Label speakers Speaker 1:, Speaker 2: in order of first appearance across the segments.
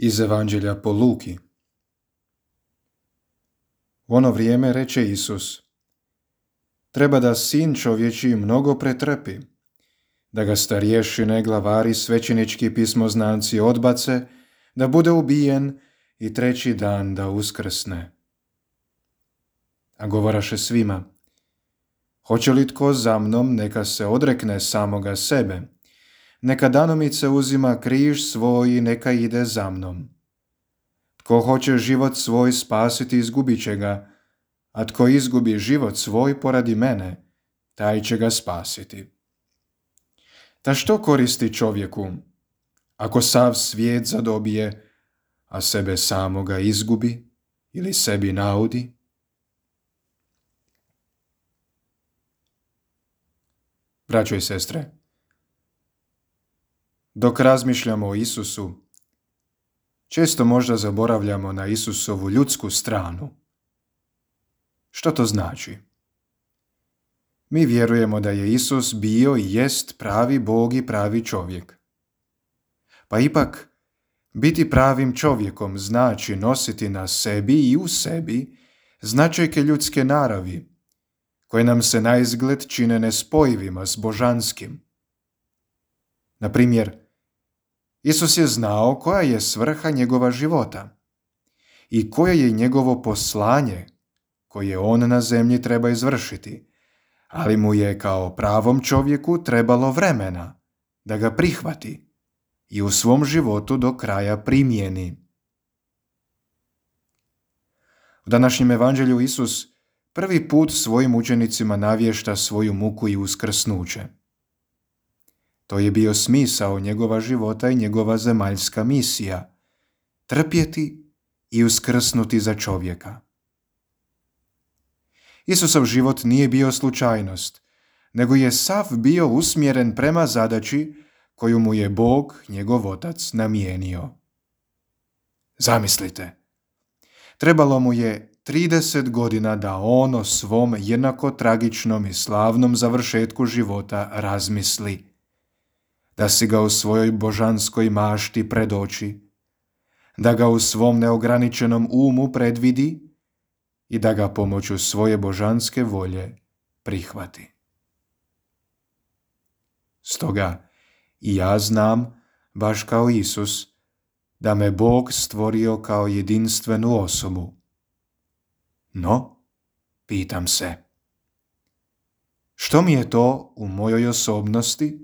Speaker 1: Iz Evanđelja po Luki. U ono vrijeme reče Isus: treba da sin čovječiji mnogo pretrpi, da ga starješine, glavari, svećenički pismoznanci odbace, da bude ubijen i treći dan da uskrsne. A govoraše svima: hoće li tko za mnom, neka se odrekne samoga sebe, neka danomice uzima križ svoj i neka ide za mnom. Tko hoće život svoj spasiti, izgubit će ga, a tko izgubi život svoj poradi mene, taj će ga spasiti. Ta što koristi čovjeku, ako sav svijet zadobije, a sebe samoga izgubi ili sebi naudi? Braćo i sestre, dok razmišljamo o Isusu, često možda zaboravljamo na Isusovu ljudsku stranu. Što to znači? Mi vjerujemo da je Isus bio i jest pravi Bog i pravi čovjek. Pa ipak, biti pravim čovjekom znači nositi na sebi i u sebi značajke ljudske naravi, koje nam se naizgled čine nespojivima s božanskim. Na primjer, Isus je znao koja je svrha njegova života i koje je njegovo poslanje koje on na zemlji treba izvršiti, ali mu je kao pravom čovjeku trebalo vremena da ga prihvati i u svom životu do kraja primijeni. U današnjem evanđelju Isus prvi put svojim učenicima navješta svoju muku i uskrsnuće. To je bio smisao njegova života i njegova zemaljska misija – trpjeti i uskrsnuti za čovjeka. Isusov život nije bio slučajnost, nego je sav bio usmjeren prema zadaći koju mu je Bog, njegov Otac, namijenio. Zamislite, trebalo mu je 30 godina da on o svom jednako tragičnom i slavnom završetku života razmisli, da si ga u svojoj božanskoj mašti predoči, da ga u svom neograničenom umu predvidi i da ga pomoću svoje božanske volje prihvati. Stoga i ja znam, baš kao Isus, da me Bog stvorio kao jedinstvenu osobu. No, pitam se, što mi je to u mojoj osobnosti,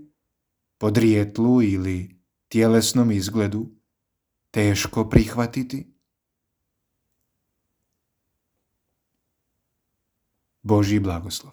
Speaker 1: podrijetlu ili tjelesnom izgledu teško prihvatiti? Božji blagoslov.